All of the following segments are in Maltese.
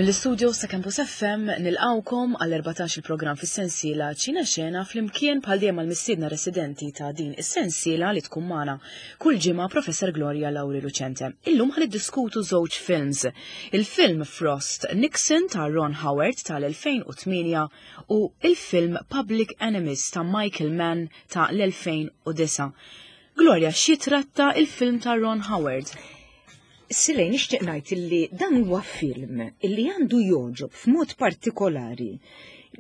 Mill-istudios ta' Campus FM nilqawkom għal 14 il-programm fis-sensiela Ċina Xena flimkien bħal dejjem mal-mistiedna residenti ta' din is-sensiela li tkun magħna kull ġimgħa Professor Gloria Lauri Lucente. Illum ħan niddiskutu żewġ films. Il-film Frost Nixon ta' Ron Howard tal-2008 u il-film Public Enemies ta' Michael Mann ta' l-2009. Gloria, xi tratta il-film ta' Ron Howard? Silej nixtieq ngħid illi dan huwa film illi għandu jogħġob f'mod partikolari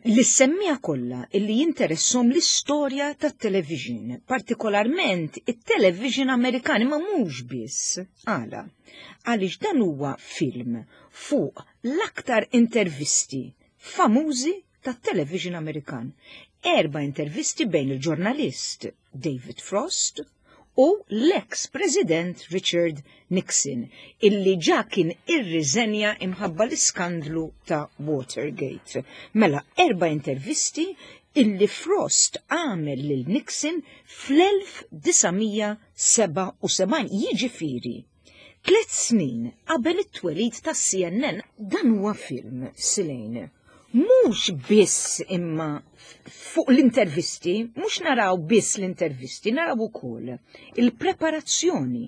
lis-semmiegħa kollha illi jinteresshom l-istorja tat-television, partikolarment it-television Amerikan, imma mhux biss. Għala? Għaliex dan huwa film fuq l-aktar intervisti famużi tat-television Amerikan. Erba' intervisti bejn il-ġurnalist David Frost u l-eks President Richard Nixon, illi ġa kien irriżenja imħabba l-iskandlu ta' Watergate. Mela erba' intervisti illi Frost għamel lil Nixon fl-1977, jiġifieri Tlet snin qabel it-twelid tas-CNN dan huwa film Silejn. Mhux biss imma fuq l-intervisti, mhux naraw biss l-intervisti, naraw ukoll il-preparazzjoni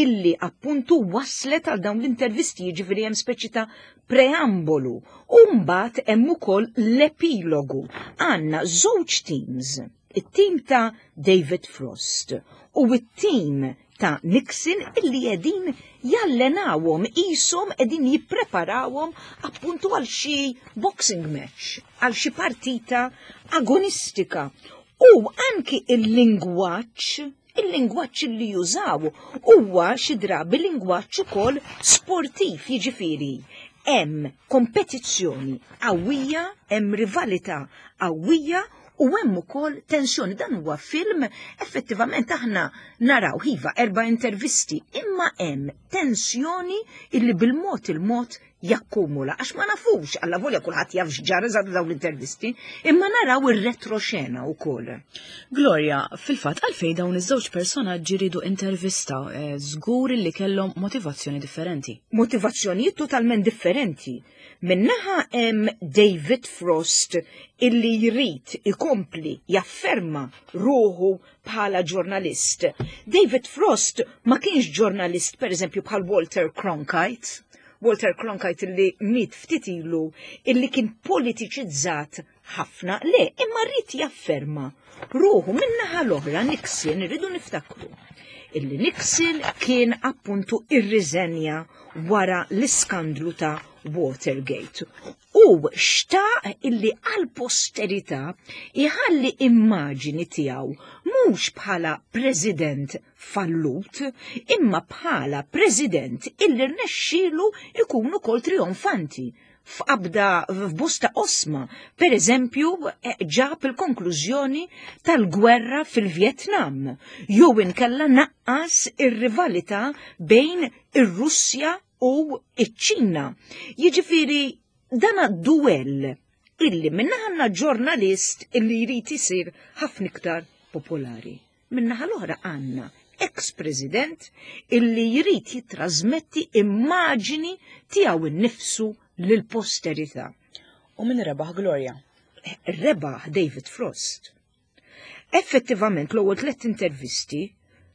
illi appuntu waslet għal dawn l-intervisti, jiġifieri hemm speċi ta' preambolu u mbagħad hemm ukoll l-epilogu. Għandna żewġ teams, it-tim ta' David Frost u t-tim ta' Nixon illi qegħdin jallenawhom qishom qegħdin jippreparawhom appuntu għal xi boxing match, għal xi partita agonistika. U anki il-lingwaġġ il-lingwaġġ li jużaw huwa xi drabi lingwaġġ ukoll sportiv, jiġifieri hemm kompetizzjoni qawwija, hemm rivalità qawwija u hemm ukoll tensjoni. Dan huwa film effettivament aħna naraw iva erba' intervisti, imma hemm tensjoni illi bil-mod il-mod jakkumula għax ma nafux alla volja kulħadd jaf x'ġara eżatt dawn l-intervisti, imma naraw ir-retroxena wkoll. Gloria, fil-fatt għalfejn dawn iż-żewġ personaġġi ridu intervista eh, żgur li kellhom motivazzjoni differenti. Motivazzjonijiet totalment differenti. Min-naħa hemm David Frost illi jrid ikompli jafferma ruħu bħala ġurnalist. David Frost ma kienx ġurnalist pereżempju bħal Walter Cronkite. Walter Cronkite illi miet ftit ilu illi kien politiċizzat ħafna, le, imma rrid jafferma ruħu min-naħa l-oħra Nixon irridu niftakru illi Nixon kien appuntu irriżenja wara l-iskandlu ta' Watergate. U xtaq illi għal posterità iħalli immaġini tiegħu mhux bħala president fallut, imma bħala president illi rnexxielu ikun ukoll trionfanti f'qabda f'bosta osma, per eżempju, eh, ġab il-konklużjoni tal-gwerra fil-Vjetnam, jew inkella naqqas ir-rivalità bejn ir-Russja u iċ-Ċina. Jiġifieri dan duell illi minna ġurnalist illi jrid isir ħafna iktar popolari. Min-naħa l-oħra għandna ex-president illi jrid jitrasmetti immaġini tiegħu nnifsu lill-posterità. U min rebaħ Gloria? Rebaħ David Frost. Effettivament l-ewwel tliet intervisti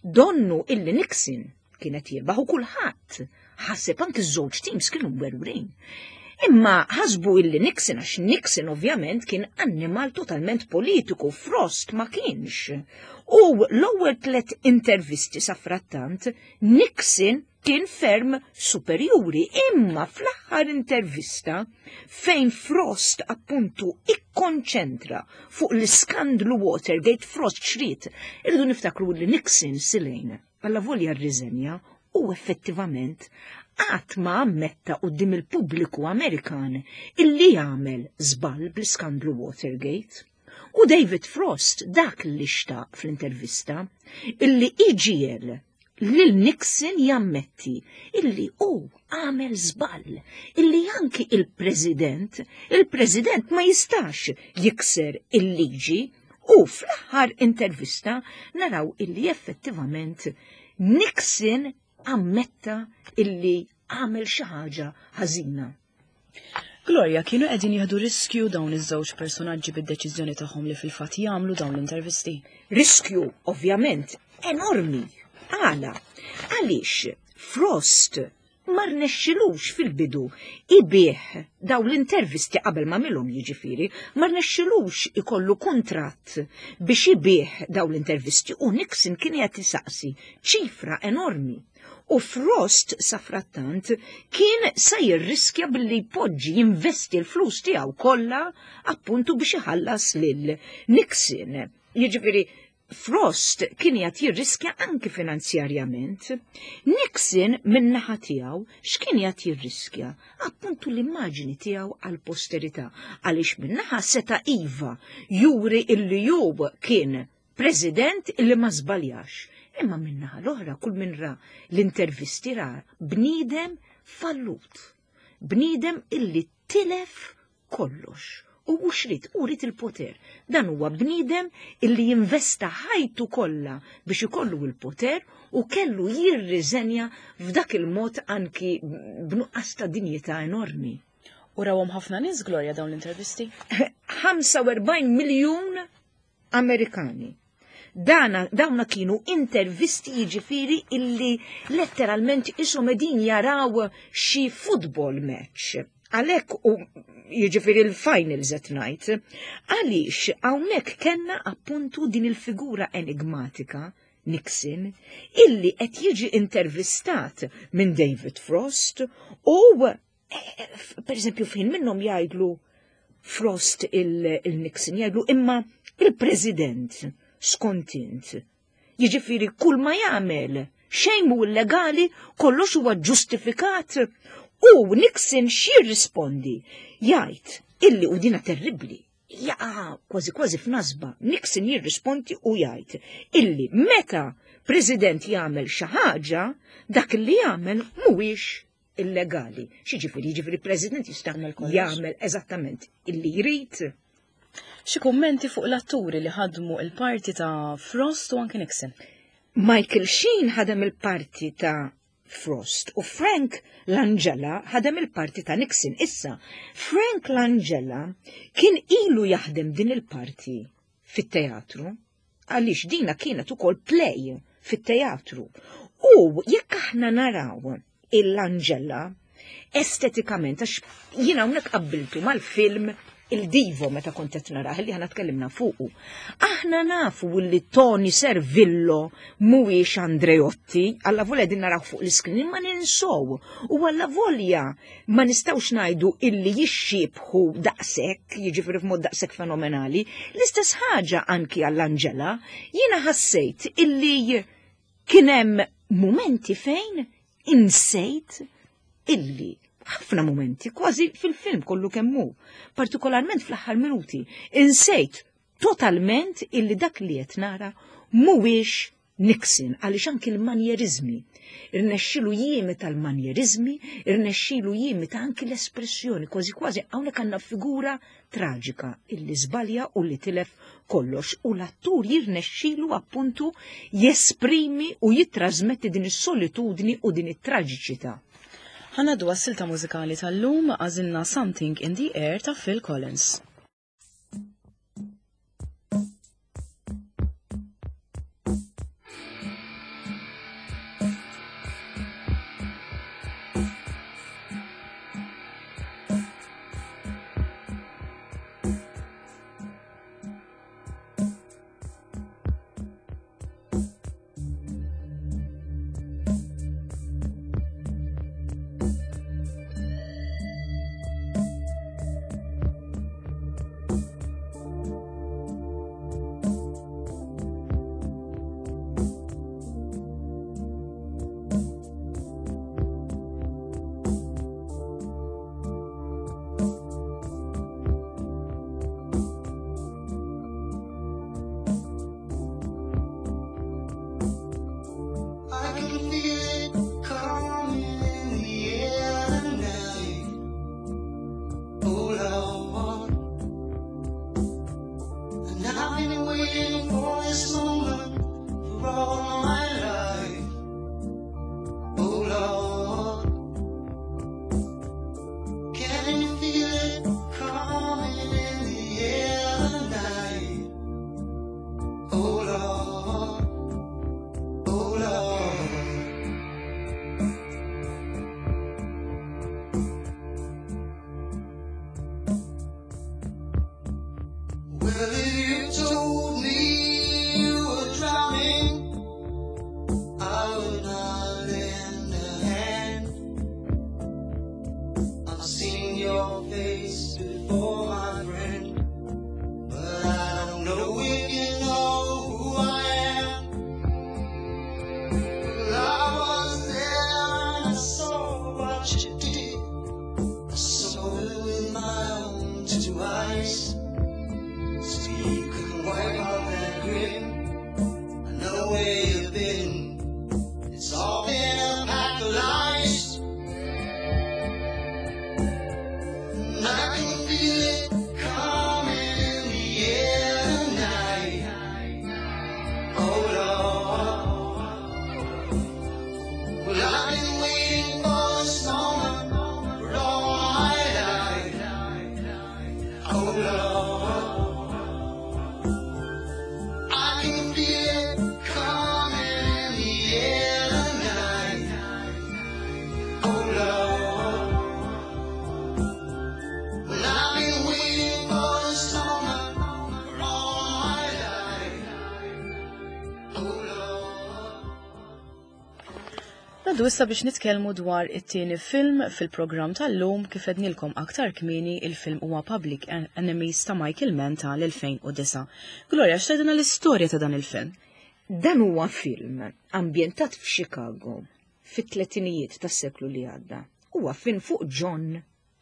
donnu illi Nixon kienet jirbaħ u kulħadd ħaseb anki ż-żewġ teams kienu mwerwrin. Imma ħasbu illi Nixon għax Nixon ovvjament kien annimal totalment politiku, Frost ma kienx. U l-ewwel tliet intervisti sa frattant Nixon kien ferm superjuri, imma fl-aħħar intervista fejn Frost appuntu ikkonċentra fuq l-iskandlu Watergate Frost xrid, irridu niftakru li Nixon silejn Allavolja rriżenja u effettivament qatt ma ammetta quddiem il-pubbliku Amerikan illi għamel żball bl-iskandlu Watergate. U David Frost dak li xtaq fl-intervista illi iġiegħel lil Nixon jammetti illi hu għamel żball, illi anki il-President, il-President ma jistax jikser il-liġi U fl-aħħar intervista naraw illi effettivament Nixon ammetta illi għamel xi ħaġa ħażina. Gloria, kienu qegħdin jieħdu riskju dawn iż-żewġ personaġġi bid-deċiżjoni tagħhom li fil-fatt jagħmlu dawn l-intervisti? Riskju, ovvjament, enormi. Għala? Għaliex Frost ma rnexxilux fil-bidu ibih daw l-intervisti qabel ma milhom jiġifieri, ma rnexxilux ikollu kuntratt biex ibih daw l-intervisti u Nixon kien qed isaqsi ċifra enormi. U Frost safrattant kien se jirriskja billi jpoġġi jinvesti l-flus tiegħu kollha appuntu biex iħallas lil Nixon. Jiġifieri Frost kien qed jirriskja anki finanzjarjament. Nixon min-naħa tiegħu x'kien qed jirriskja? Appuntu l-immaġini tiegħu għall-posterità għaliex min-naħa seta' iva juri illi hu kien President illi ma żbaljax. Imma min-naħa l-oħra kull min ra l-intervisti ra bniedem fallut. Bniedem illi tilef kollox. U mhux rid, u rid il-poter. Dan huwa bniedem illi jinvesta ħajtu kollha biex ikollu il-poter u kellu jirriżenja f'dak il-mod anki b'nuqqas ta' dinjità enormi. U rawhom ħafna nies Gloria dawn l-intervisti? 45 miljun Amerikani. Dana, dawna kienu intervisti jiġifieri illi letteralment ishom qegħdin jaraw xi football match. Għalhekk u jiġifieri l-finals at night. Għaliex hawnhekk kellna appuntu din il-figura enigmatika Nixon illi qed jiġi intervistat minn David Frost u per eżempju fejn minnhom jgħidlu Frost il-Nixon jgħidlu imma il-President skont int. Jiġifieri kull ma jagħmel xejn mhu illegali, kollox huwa ġustifikat. U Nixon x'jirrispondi? Jgħid illi u dina terribbli, jaqa' kważi kważi f'nasba. Nixon jirrispondi u jgħid illi meta President jagħmel xi ħaġa, dak li jagħmel mhuwiex illegali. X'jiġifieri? Jiġifieri President jista' jagħmel eżattament illi jrid. Xi kummenti fuq l-atturi li ħadmu il-parti ta' Frost u anke Nixon? Michael Sheen ħadem il-parti ta' Frost u Frank Langella ħadem il-parti ta' Nixon. Issa, Frank Langella kien ilu jaħdem din il-parti fit-teatru għaliex dina kienet ukoll play fit-teatru. U jekk aħna naraw il-Langella estetikament, għax jiena hawnhekk qabbiltu mal-film il-Divo meta kont qed narah li aħna tkellimna fuqu. Aħna nafu li Tony Servillo mhuwiex Andreotti, alla volja din naraw fuq l-iskrin imma ninsow u alla volja ma nistgħux ngħidu illi jixxiebħu daqshekk, jiġifieri f'mod daqshekk fenomenali. L-istess ħaġa anki għall-Angela, jiena ħassejt illi kien hemm mumenti fejn insejt illi ħafna mumenti, kważi fil-film kollu kemmu, partikolarment fl-aħħar minuti, insejt totalment illi dak li qed nara mhuwiex Nixon għaliex anki l-manjeriżmi, irnexxilu jimita l-manjeriżmi, irnexxilu jimita anki l-espressjoni, kważi kważi hawnhekk għandna figura traġika illi żbalja u li tilef kollox u l-attur jirnexxilu appuntu jesprimi u jittrażmetti din is-solitudni u din it-traġiċità. Ħa ngħaddu għas-silta mużikali tal-lum, għażilna Something in the Air ta' Phil Collins. Well, if you told me you were drowning, I would not lend a hand. I've seen your face before, my friend, but I don't know if you know who I am. Well, I was there and I saw what you did. I saw it with my own two eyes. So you can wipe out that grin. I know where you've been. It's all been a pack of lies. And I can feel it coming in the air tonight. Oh Lord. Well, I've been waiting for this moment for all my life. Oh Lord. I can feel it coming in the air tonight. Oh Lord. Well, I've been waiting for this moment for all my life. Oh Lord. Ngħaddu issa biex nitkellmu dwar it-tieni film fil-programm tal-lum. Kif għednilkom aktar kmieni, il-film huwa Public Enemies ta' Michael Mann tal-2009. Gloria, x'tgħidilna l-istorja ta' dan il-film? Dan huwa film ambjentat f'Chicago fit-tletinijiet tas-seklu li għadda. Huwa film fuq John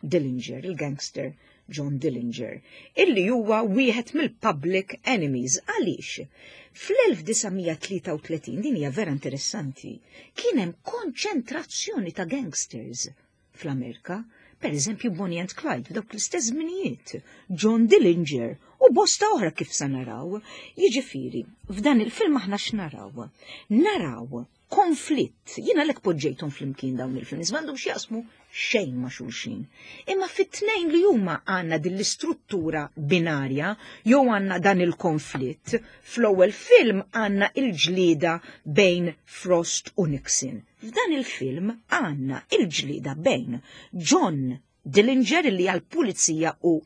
Dillinger, il-gangster John Dillinger, illi huwa wieħed mill-Public Enemies. Għaliex? Fl-1933, din hija vera interessanti, kien hemm konċentrazzjoni ta' gangsters fl-Amerika, per eżempju Bonnie and Clyde f'dawk l-istess żminijiet, John Dillinger u bosta oħra kif sa naraw. Jiġifieri, f'dan il-film aħna x'naraw? Naraw konflitt. Jiena lek poġġejthom flimkien dawn il-films, m'għandhom x'jaqsmu xejn ma' xulxin. Imma fit-tnejn li huma għandna din l-istruttura binarja jew għandna dan il-konflitt. Fl-ewwel film għandna il-ġlieda bejn Frost u Nixon. F'dan il-film għandna il-ġlieda bejn John Dillinger, li għal-pulizija u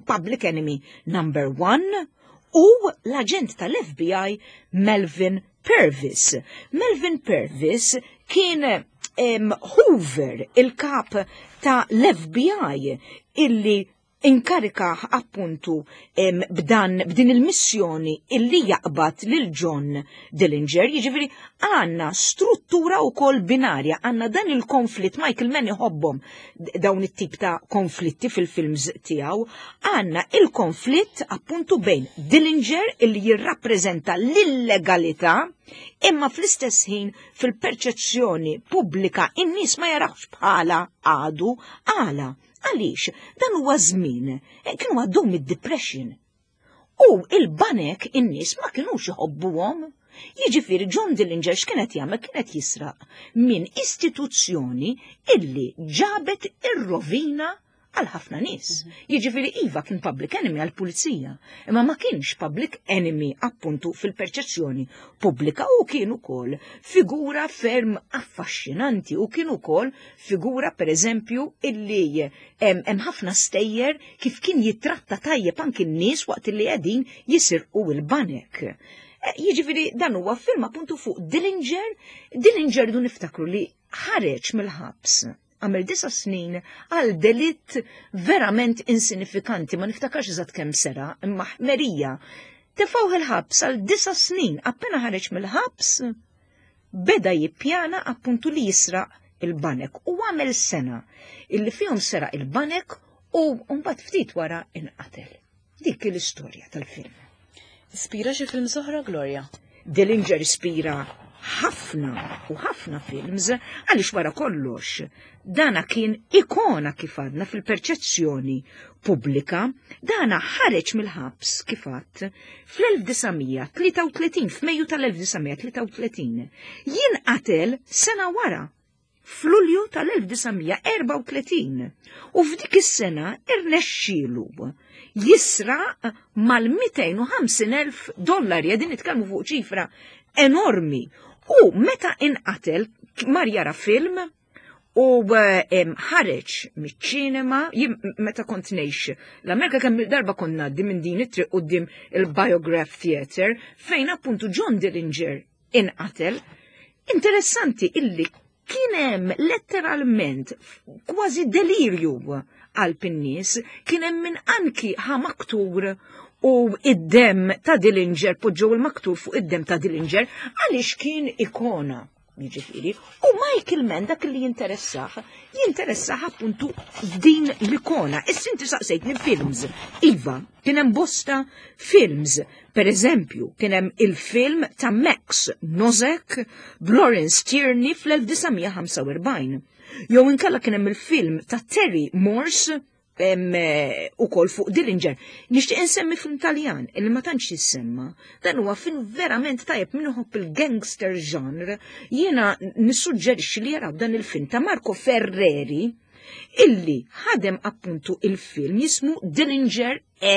Public Enemy number 1, u l-aġent tal-FBI Melvin Purvis. Melvin Purvis kien Hoover, il-kap ta' l-FBI, illi inkarika appuntu b'dan b'din il-missjoni illi jaqbad lil John Dillinger. Jiġifieri għandna struttura wkoll binarja, għandna dan il-konflitt. Michael Mann iħobbhom dawn it-tip ta' konflitti fil-films tiegħu. Għandna il-konflitt appuntu bejn Dillinger, illi jirrappreżenta l-illegalità, imma fl-istess ħin fil-perċezzjoni pubblika in-nies ma jarawx bħala għadu. Għala? Għaliex dan huwa żmien kienu għaddew mid-depression. U il-banek in-nies ma kinux iħobbuhom. Jiġifieri John Dillinger x'kienet jagħmel? Kienet jisraq minn istituzzjoni illi ġabet ir-rovina għal ħafna nies. Jiġifieri iva, kien public enemy għal pulizija, imma ma kienx public enemy appuntu fil-perċezzjoni pubblika u kien ukoll figura ferm affaxxinanti u kien ukoll figura, per eżempju, illi hemm ħafna stejjer kif kien jitratta tajjeb anki n-nies waqt illi qegħdin jisirqu il-banek. Jiġifieri dan huwa film appuntu fuq Dillinger. Dillinger, du niftakru li ħareġ mill-ħabs, għamel 9 snin għal delitt verament insinifikanti, ma niftakarx eżatt kemm sera, imma ħmerija. Tefgħuh il-ħabs għal 9 snin, appena ħareġ mill-ħabs, beda jippjana appuntu li jisraq il-banek u għamel sena illi fihom seraq il-banek u mbagħad ftit wara inqatel. Dik l-istorja tal-film. Ispira xi film oħra, Gloria? Dillinger ispira ħafna u ħafna films, għaliex wara kollox dana kien ikona, kif għadna, fil-perċezzjoni pubblika. Dana ħareġ mill-ħabs, kif għadt, fl-1933, f'Mejju tal-1933. Jinqatel sena wara, f'Lulju tal-1934, u f'dik is-sena irnexxielu jisraq mal-250,000 dollari, qegħdin nitkellmu fuq ċifra enormi. U meta inqatel mar jara film. U eh, ħareġ miċ-ċinema, jien meta kont ngħix l-Amerika kemm darba kont ngħaddi minn din it-triq quddiem il-Biograph Theatre fejn appuntu John Dillinger inqatel. Interessanti illi kien hemm letteralment kważi delirju qalb in-nies, kien hemm min anki ħa maktur u id-dem ta' Dillinger poġġew il-maktur fuq id-dem ta' Dillinger għaliex kien ikona. Jiġifieri, u Michael Mann dak li jinteressah, jinteressah appuntu din l-ikona. Issa inti saqsejtni films. Iva, kien hemm bosta films. Per eżempju, kien hemm il-film ta' Max Nozek b'Lawrence Tierney fl-1945. Jew inkella kien hemm il-film ta' Terry Morse eh, ukoll fuq Dillinger. Nixtieq insemmi film Taljan illi ma tantx jissemma. Dan huwa film verament tajjeb min iħobb il-gangster genre. Jiena nissuġġerixxi li jaraw dan il-film ta' Marco Ferreri illi ħadem appuntu il-film jismu Dillinger e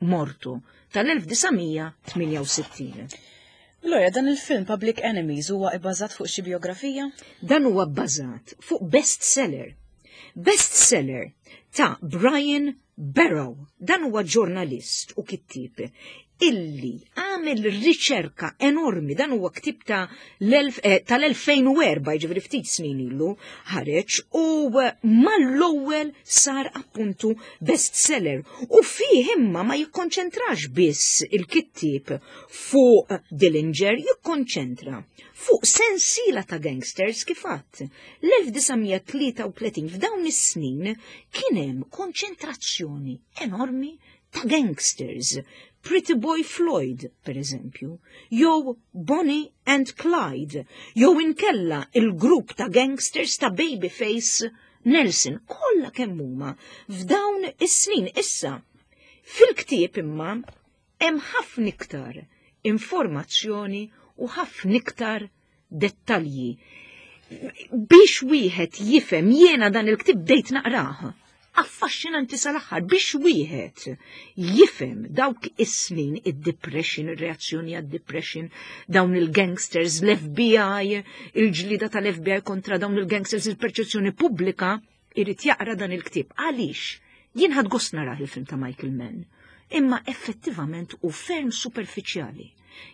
Morto tal-1968. Gloria, dan il-film Public Enemies huwa ibbażat fuq xi biografija? Dan huwa bbażat fuq bestseller. Bestseller ta' Brian Barrow. Dan huwa ġurnalist u kittieb illi għamel riċerka enormi, dan huwa ktib ta' eh, tal-2004, ġifieri ftit snin ilu ħareġ u eh, mal-ewwel sar appuntu bestseller u fih imma ma jikkonċentrax biss il-kittieb fuq Dillinger, jikkonċentra fuq sensiela ta' gangsters kif għadt. L-1933 f'dawn is-snin kien hemm konċentrazzjoni enormi ta' gangsters, Pretty Boy Floyd, per eżempju, jew Bonnie and Clyde, jew inkella il-grupp ta' gangsters ta' Babyface Nelson, kollha kemm huma f'dawn is-snin issa. Fil-ktieb imma hemm ħafna iktar informazzjoni u ħafna iktar dettalji. Biex wieħed jifhem jiena dan il-ktieb bdejt naqrah. Affaxxinanti sal-aħħar biex wieħed jifhem dawk is-snin id-depression, ir-reazzjoni għad-depression, dawn il-gangsters, l-FBI, il-ġlida tal-FBI kontra dawn il-gangsters, il-perċezzjoni pubblika, irid jaqra dan il-ktieb. Għaliex? Jien ħadt gost narah il-film ta' Michael Mann, imma effettivament u ferm superfiċjali.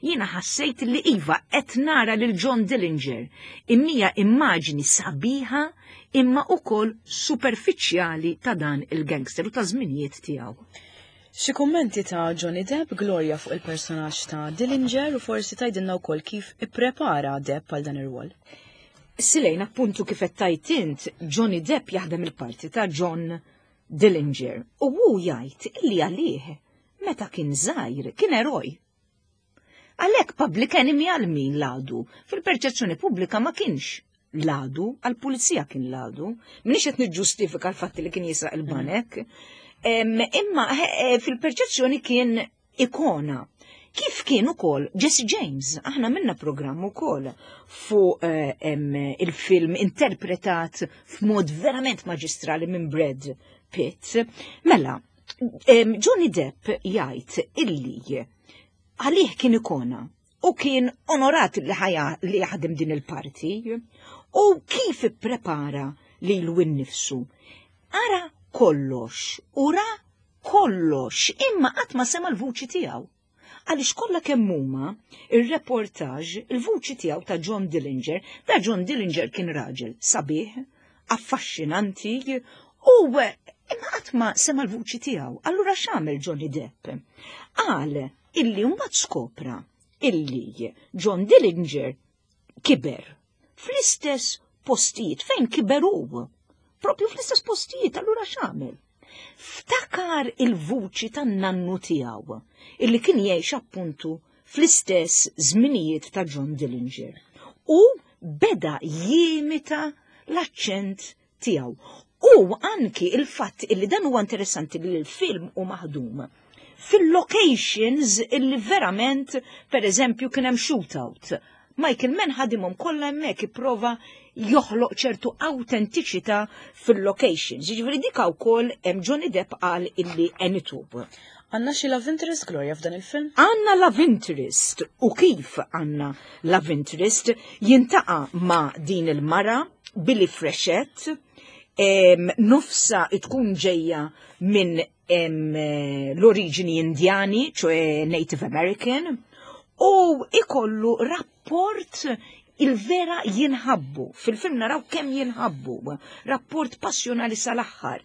Jiena ħassejt li iva qed nara lil John Dillinger, imma immaġni sabiħa imma ukoll superfiċjali ta' dan il-gangster u ta' żminijiet tiegħu. Xi kummenti ta' Johnny Depp, Gloria fuq il-personaġġ ta' Dillinger u forsi tgħidilna wkoll kif ipprepara Depp għal dan ir-rwol. Silejn appuntu kif qed tgħid int, Johnny Depp jaħdem il-parti ta' John Dillinger u hu jgħid illi għalih meta kien żgħir kien eroj. Għalhekk public enemy għal min l-għadu? Fil-perċezzjoni pubblika ma kienx l-għadu, għall-pulizija kien l-għadu. Minix qed niġġustifika l-fatt li kien jisraq il-banek. Imma eh, fil-perċezzjoni kien ikona. Kif kien ukoll Jesse James, aħna minna programm ukoll fuq eh, il-film interpretat f'mod verament maġistrali minn Brad Pitt. Mela, Johnny Depp jgħid illi għalih kien ikona u kien onorat li ħaja li jaħdem din il-parti u kif ipprepara lilu nnifsu. Ara kollox u ra kollox imma qatt ma sema l-vuċi tiegħu. Għaliex kollha kemm huma ir-reportaġ il-vuċi tiegħu ta' John Dillinger, da John Dillinger kien raġel sabiħ, affaxxinanti u imma qatt ma sema l-vuċi tiegħu. Allura x'għamel Johnny Depp? Qal illi mbagħad skopra illi John Dillinger kiber fl-istess postijiet fejn kiber hu. Propju fl-istess postijiet, allura x'għamel? Ftakar il-vuċi tan-nannu tiegħu illi kien jgħix appuntu fl-istess żminijiet ta' John Dillinger. U beda jimita l-aċċent tiegħu. U anki il-fatt illi dan huwa interessanti li l-film hu maħdum fil-locations illi verament, per eżempju, kien hemm shootout. Michael Mann ħadimhom kollha hemmhekk ipprova joħloq ċertu autentiċità fil-locations. Jiġifieri dik wkoll hemm Johnny Depp qal illi għenitu. Għandna xi love interest Gloria f'dan il-film? Għandna love interest u kif għandna love interest jintaqa' ma' din il-mara Billy Freshett nofsa tkun ġejja minn l-oriġini indjani, ċoe Native American, u ikollu rapport il-vera jinħabbu. Fil-film naraw kemm jinħabbu, rapport passjonali sal-aħħar.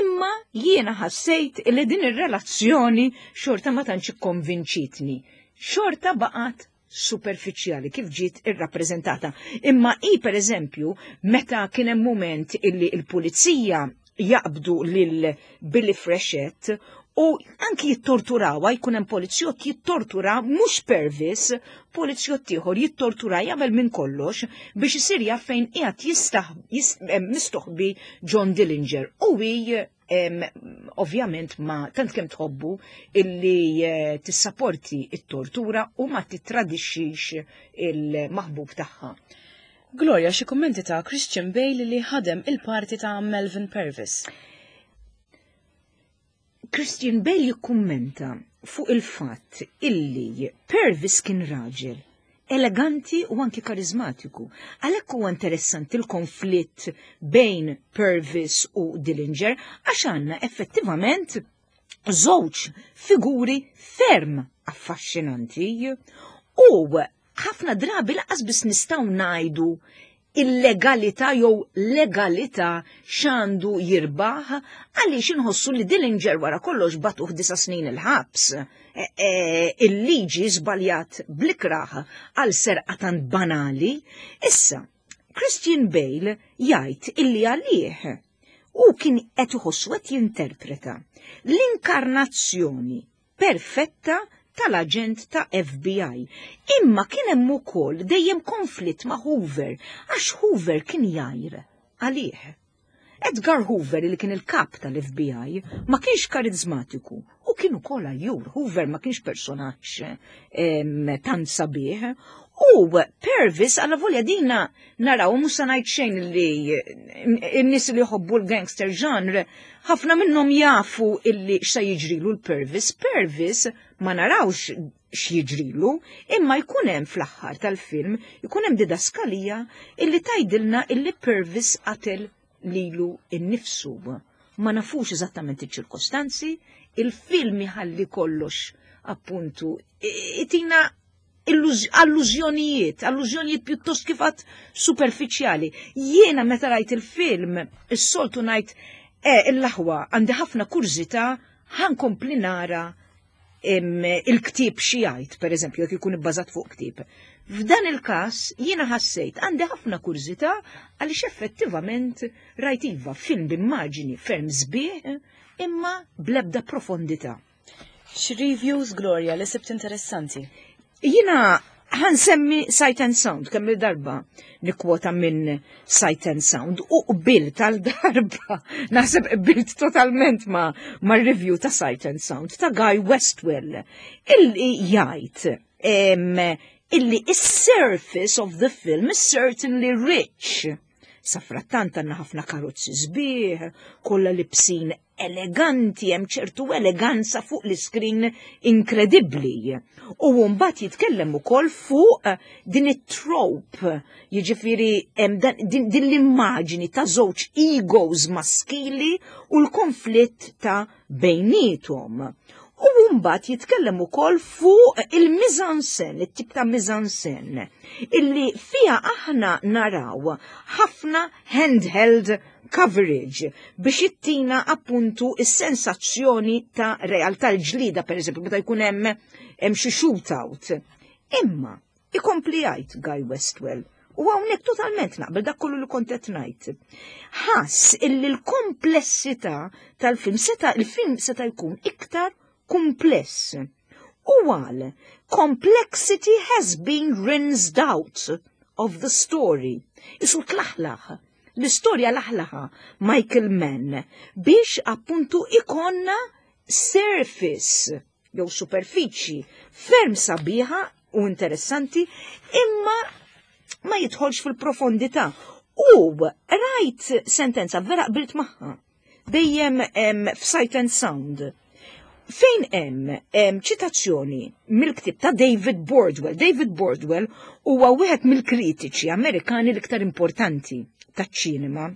Imma jiena ħassejt li din ir-relazzjoni xorta ma tantx ikkonvinċitni. Xorta baqgħet superfiċjali kif ġiet irrappreżentata. Imma i per eżempju, meta kien hemm mument illi l-pulizija jaqbdu lil Billy Freshett u anki jittorturawa jkun hemm polizzjott jittortura mhux Pervis, polizzjott ieħor jittortura jagħmel minn kollox biex isir jaf fejn qiegħed eh, mistoħbi John Dillinger. U hi ovvjament ma tant kemm tħobbu illi eh, tissaporti it-tortura u ma titradixxix il-maħbub tagħha. Gloria, xi kummenti ta' Christian Bale li ħadem il-parti ta' Melvin Purvis. Christian Bale jikkummenta fuq il-fatt illi Purvis kien raġel eleganti u anki karizmatiku. Għalhekk huwa interessanti l-konflitt bejn Purvis u Dillinger għax għandna effettivament żewġ figuri ferm affaxxinanti u ħafna drabi laqas biss nistgħu ngħidu illegalità jew legalità x'għandu jirbaħ għaliex inħossu li Dillinger wara kollox batuh disa' snin il-ħabs. E, e, il-liġi żbaljat blikraħ għal serqa tant banali. Issa, Christian Bale jgħid illi għalih u kien qed iħossu qed jinterpreta l-inkarnazzjoni perfetta tal-aġent ta' FBI. Imma kien hemm ukoll dejjem konflitt ma' Hoover għax Hoover kien jgħir għalih. Edgar Hoover li kien il-kap tal-FBI ma kienx karizmatiku u kien ukoll għajjur. Hoover ma kienx personaġġ tant sabiħ U Purvis għalla volja dina naraw mhux se ngħid xejn li n-nies li jħobbu l-gangster genre ħafna minnhom jafu illi x'se jiġrilu l-Purvis. Purvis ma narawx x'jiġrilu, imma jkun hemm fl-aħħar tal-film jkun hemm didaskalija illi tgħidilna illi Purvis qatel lilu innifsu. Ma nafux eżattament iċ-ċirkostanzi, il-film iħalli kollox appuntu itina allużjonijiet, allużjonijiet pjuttost kifat superfiċjali. Jiena meta rajt il-film, is-soltu ngħid eh, il-laħwa għandi ħafna kurżità ħankompli nara il-ktieb xi jgħid, pereżempju, jekk ikun ibbażat fuq ktieb. F'dan il-każ jiena ħassejt għandi ħafna kurżità għaliex effettivament rajt iva film b'immaġini ferm sbieħ imma bl-ebda profondità. Xi reviews Gloria li sibt interessanti? Jiena ħansemmi Sight and Sound kemm il-darba nikkwota minn Sight and Sound u qbilt tal-darba naħseb qbilt totalment ma, ma review ta' Sight and Sound ta' Guy Westwell illi jgħid illi is-surface of the film is certainly rich. Safrattant għandna ħafna karozzi sbieħ, kollha libsin eleganti, hemm ċertu eleganza fuq l-iskrin inkredibbli. U mbagħad jitkellem ukoll fuq eh, din it-trope, jiġifieri din l-immaġini ta' żewġ egos maskili u l-konflitt ta' bejniethom. U mbagħad jitkellem ukoll fuq il-mizansen, it-tip ta' mizansen, illi fiha aħna naraw ħafna handheld coverage biex ittina appuntu is-sensazzjoni ta' realtà l-ġlida, per eżempju, meta jkun hemm hemm xi shootout. Imma Ikompli jgħid Guy Westwell, u hawnhekk totalment naqbel dak kollu li kont qed ngħid. Ħass illi l-komplessità tal-film seta' il-film seta' jkun iktar kumpless. U għal complexity has been rinsed out of the story. Isu tlaħlaħ. L-istorja laħlaħa Michael Mann biex appuntu ikonna surface jew superfiċi ferm sabiħa u interessanti imma ma jidħolx fil-profondità. U rajt sentenza vera qbilt magħha dejjem f'Sight and Sound. Fejn hemm ċitazzjoni mill-ktieb ta' David Bordwell. David Bordwell huwa wieħed mill-kritiċi Amerikani l-iktar importanti taċ-ċinema.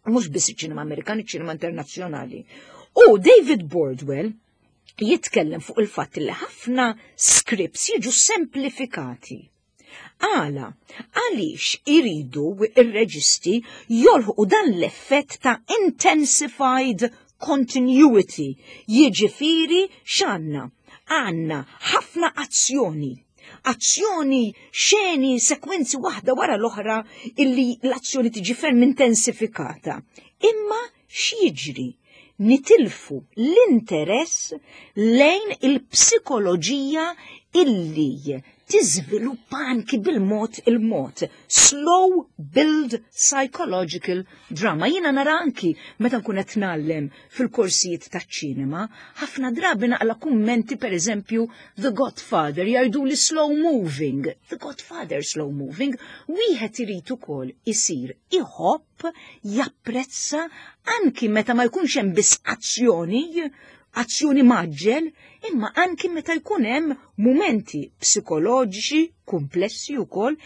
Mhux biss iċ-ċinema Amerikan, iċ-ċinema internazzjonali. U David Bordwell jitkellem fuq il-fatt li ħafna scripts jiġu semplifikati. Għala, għaliex iridu ir-reġisti jolħqu dan l-effett ta' intensified continuity, jiġifieri x'għandna? Għandna ħafna azzjoni, azzjoni, xeni, sekwenzi waħda wara l-oħra illi l-azzjoni tiġi ferm intensifikata. Imma x'jiġri? Nitilfu l-interess lejn il-psikoloġija illi tiżviluppa anki bil-mod il-mod. Slow build psychological drama. Jiena nara anki meta nkun qed ngħallem fil-korsijiet taċ-ċinema, ħafna drabi naqla kummenti pereżempju The Godfather jgħidu li slow moving. The Godfather slow moving, wieħed irid ukoll isir iħobb, japprezza anki meta ma jkunx hemm biss azzjoni, azzjoni maġġel, imma anki meta jkun hemm mumenti psikoloġiċi komplessi wkoll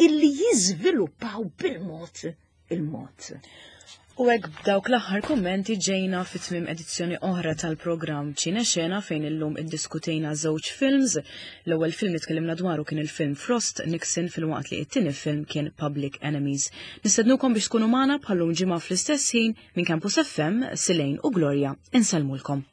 illi jiżviluppaw bil-mod il-mod. U hekk b'dawk l-aħħar kummenti ġejna fi tmiem edizzjoni oħra tal-programm Ċine Xena fejn illum iddiskutejna żewġ films. L-ewwel film li tkellimna dwaru kien il-film Frost Nixon filwaqt li t-tieni film kien Public Enemies. Nistednukom biex tkunu magħna bħallum ġimgħa fl-istess ħin minn Campus FM, Silejn u Gloria. Insellmulkom.